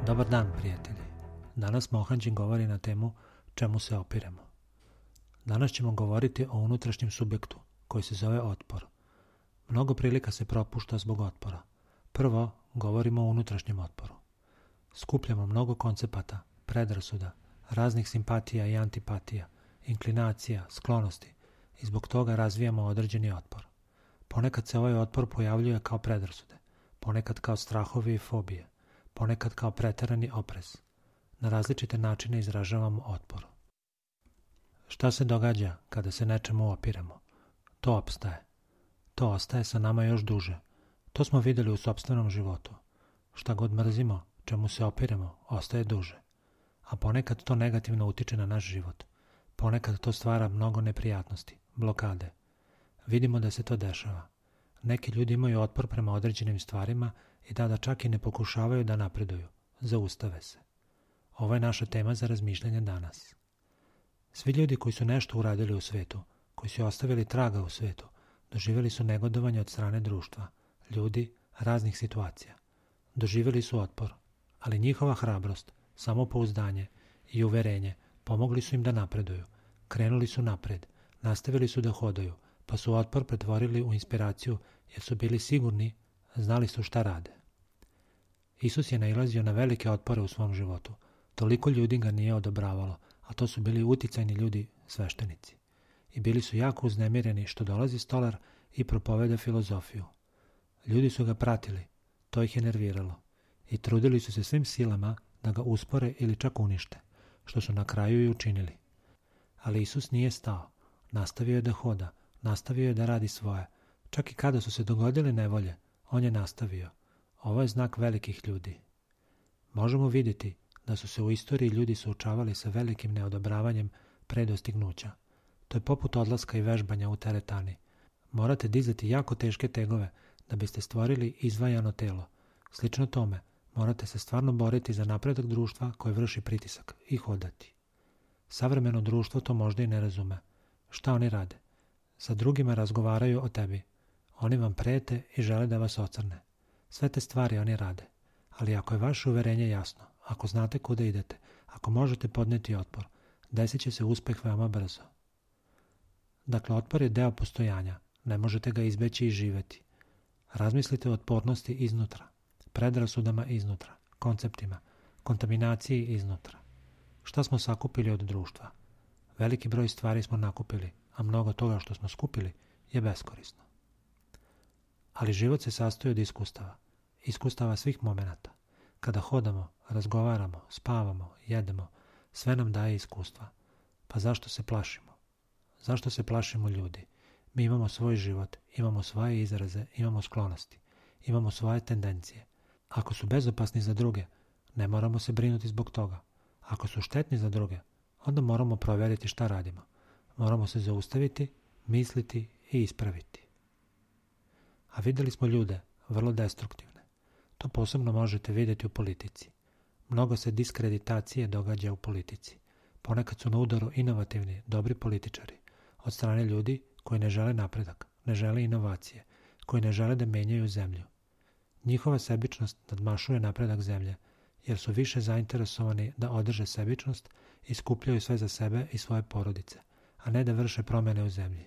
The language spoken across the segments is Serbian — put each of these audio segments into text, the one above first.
Dobar dan, prijatelji. Danas Mohanđin govori na temu čemu se opiremo. Danas ćemo govoriti o unutrašnjem subjektu koji se zove otpor. Mnogo prilika se propušta zbog otpora. Prvo, govorimo o unutrašnjem otporu. Skupljamo mnogo koncepata, predrasuda, raznih simpatija i antipatija, inklinacija, sklonosti i zbog toga razvijamo određeni otpor. Ponekad se ovaj otpor pojavljuje kao predrasude, ponekad kao strahovi i fobije, ponekad kao preterani oprez. Na različite načine izražavamo otpor. Šta se događa kada se nečemu opiremo? To opstaje. To ostaje sa nama još duže. To smo vidjeli u sopstvenom životu. Šta god mrzimo, čemu se opiremo, ostaje duže. A ponekad to negativno utiče na naš život. Ponekad to stvara mnogo neprijatnosti, blokade. Vidimo da se to dešava. Neki ljudi imaju otpor prema određenim stvarima i da čak i ne pokušavaju da napreduju. Zaustave se. Ovo je naša tema za razmišljanje danas. Svi ljudi koji su nešto uradili u svetu, koji su ostavili traga u svetu, doživjeli su negodovanje od strane društva, ljudi, raznih situacija. Doživjeli su otpor, ali njihova hrabrost, samopouzdanje i uverenje pomogli su im da napreduju. Krenuli su napred, nastavili su da hodaju, pa su otpor pretvorili u inspiraciju jer su bili sigurni, znali su šta rade. Isus je nailazio na velike otpore u svom životu. Toliko ljudi ga nije odobravalo, a to su bili uticajni ljudi, sveštenici. I bili su jako uznemireni što dolazi stolar i propoveda filozofiju. Ljudi su ga pratili, to ih je nerviralo i trudili su se svim silama da ga uspore ili čak unište, što su na kraju i učinili. Ali Isus nije stao, nastavio je da hoda, nastavio je da radi svoje. Čak i kada su se dogodile nevolje, on je nastavio. Ovo je znak velikih ljudi. Možemo vidjeti da su se u istoriji ljudi suočavali sa velikim neodobravanjem pre dostignuća. To je poput odlaska i vežbanja u teretani. Morate dizati jako teške tegove da biste stvorili izvajano telo. Slično tome, morate se stvarno boriti za napredak društva koje vrši pritisak i hodati. Savremeno društvo to možda i ne razume. Šta oni rade? Sa drugima razgovaraju o tebi. Oni vam prete i žele da vas ocrne. Sve te stvari oni rade. Ali ako je vaše uverenje jasno, ako znate kuda idete, ako možete podneti otpor, desit će se uspeh veoma brzo. Dakle, otpor je deo postojanja. Ne možete ga izbeći i živeti. Razmislite o otpornosti iznutra, predrasudama iznutra, konceptima, kontaminaciji iznutra. Šta smo sakupili od društva? Veliki broj stvari smo nakupili, a mnogo toga što smo skupili je beskorisno. Ali život se sastoji od iskustava svih momenata. Kada hodamo, razgovaramo, spavamo, jedemo, sve nam daje iskustva. Pa zašto se plašimo? Zašto se plašimo ljudi? Mi imamo svoj život, imamo svoje izraze, imamo sklonosti, imamo svoje tendencije. Ako su bezopasni za druge, ne moramo se brinuti zbog toga. Ako su štetni za druge, onda moramo provjeriti šta radimo. Moramo se zaustaviti, misliti i ispraviti. A vidjeli smo ljude, vrlo destruktivne. To posebno možete vidjeti u politici. Mnogo se diskreditacije događa u politici. Ponekad su na udaru inovativni, dobri političari, od strane ljudi koji ne žele napredak, ne žele inovacije, koji ne žele da menjaju zemlju. Njihova sebičnost nadmašuje napredak zemlje, jer su više zainteresovani da održe sebičnost i skupljaju sve za sebe i svoje porodice, a ne da vrše promjene u zemlji.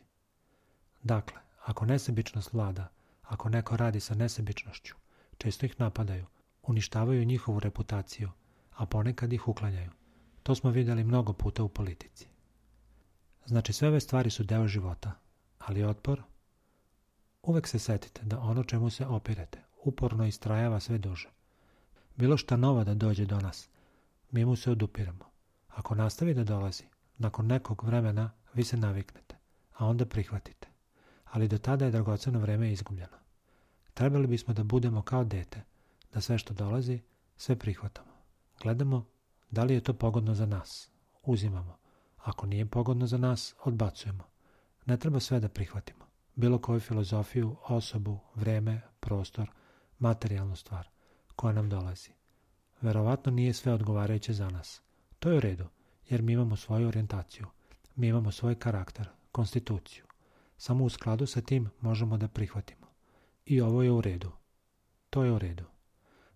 Dakle, ako nesebičnost vlada, ako neko radi sa nesebičnošću, često ih napadaju, uništavaju njihovu reputaciju, a ponekad ih uklanjaju. To smo vidjeli mnogo puta u politici. Znači, sve ove stvari su deo života, ali otpor? Uvek se setite da ono čemu se opirete uporno istrajava sve duže. Bilo šta novo da dođe do nas, mi mu se odupiremo. Ako nastavi da dolazi, nakon nekog vremena vi se naviknete, a onda prihvatite. Ali do tada je dragoceno vreme izgubljeno. Trebali bismo da budemo kao dete, da sve što dolazi, sve prihvatamo. Gledamo da li je to pogodno za nas, uzimamo. Ako nije pogodno za nas, odbacujemo. Ne treba sve da prihvatimo. Bilo koju filozofiju, osobu, vreme, prostor, materijalnu stvar koja nam dolazi. Verovatno nije sve odgovarajuće za nas. To je u redu, jer mi imamo svoju orijentaciju. Mi imamo svoj karakter, konstituciju. Samo u skladu sa tim možemo da prihvatimo. I ovo je u redu. To je u redu.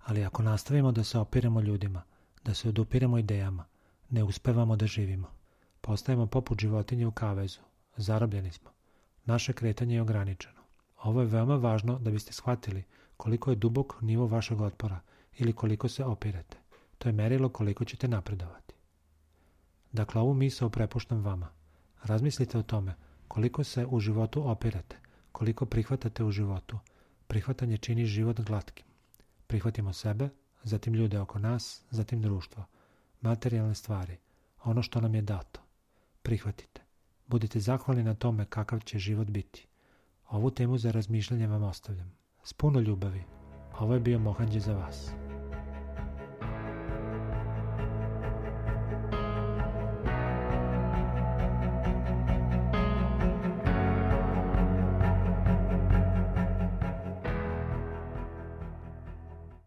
Ali ako nastavimo da se opiremo ljudima, da se odupiremo idejama, ne uspevamo da živimo. Postajemo poput životinje u kavezu. Zarobljeni smo. Naše kretanje je ograničeno. Ovo je veoma važno da biste shvatili koliko je dubok nivo vašeg otpora ili koliko se opirete. To je merilo koliko ćete napredovati. Dakle, ovu misao prepuštam vama. Razmislite o tome koliko se u životu opirete, koliko prihvatate u životu. Prihvatanje čini život glatkim. Prihvatimo sebe, zatim ljude oko nas, zatim društvo, materijalne stvari, ono što nam je dato. Prihvatite. Budite zahvalni na tome kakav će život biti. Ovu temu za razmišljanje vam ostavljam. S puno ljubavi. Ovo je bio Mohanđe za vas.